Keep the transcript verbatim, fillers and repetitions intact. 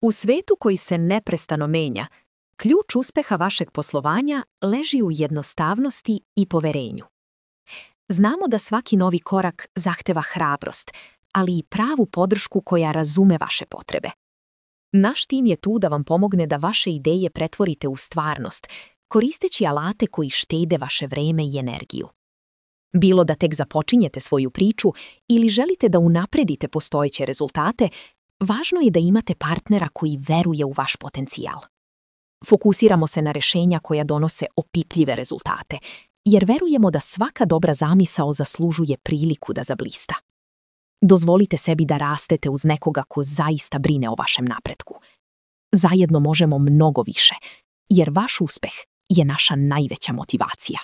U svetu koji se neprestano menja, ključ uspeha vašeg poslovanja leži u jednostavnosti i poverenju. Znamo da svaki novi korak zahteva hrabrost, ali i pravu podršku koja razume vaše potrebe. Naš tim je tu da vam pomogne da vaše ideje pretvorite u stvarnost, koristeći alate koji štede vaše vreme i energiju. Bilo da tek započinjete svoju priču ili želite da unapredite postojeće rezultate, važno je da imate partnera koji veruje u vaš potencijal. Fokusiramo se na rješenja koja donose opipljive rezultate, jer verujemo da svaka dobra zamisao zaslužuje priliku da zablista. Dozvolite sebi da rastete uz nekoga ko zaista brine o vašem napretku. Zajedno možemo mnogo više, jer vaš uspeh je naša najveća motivacija.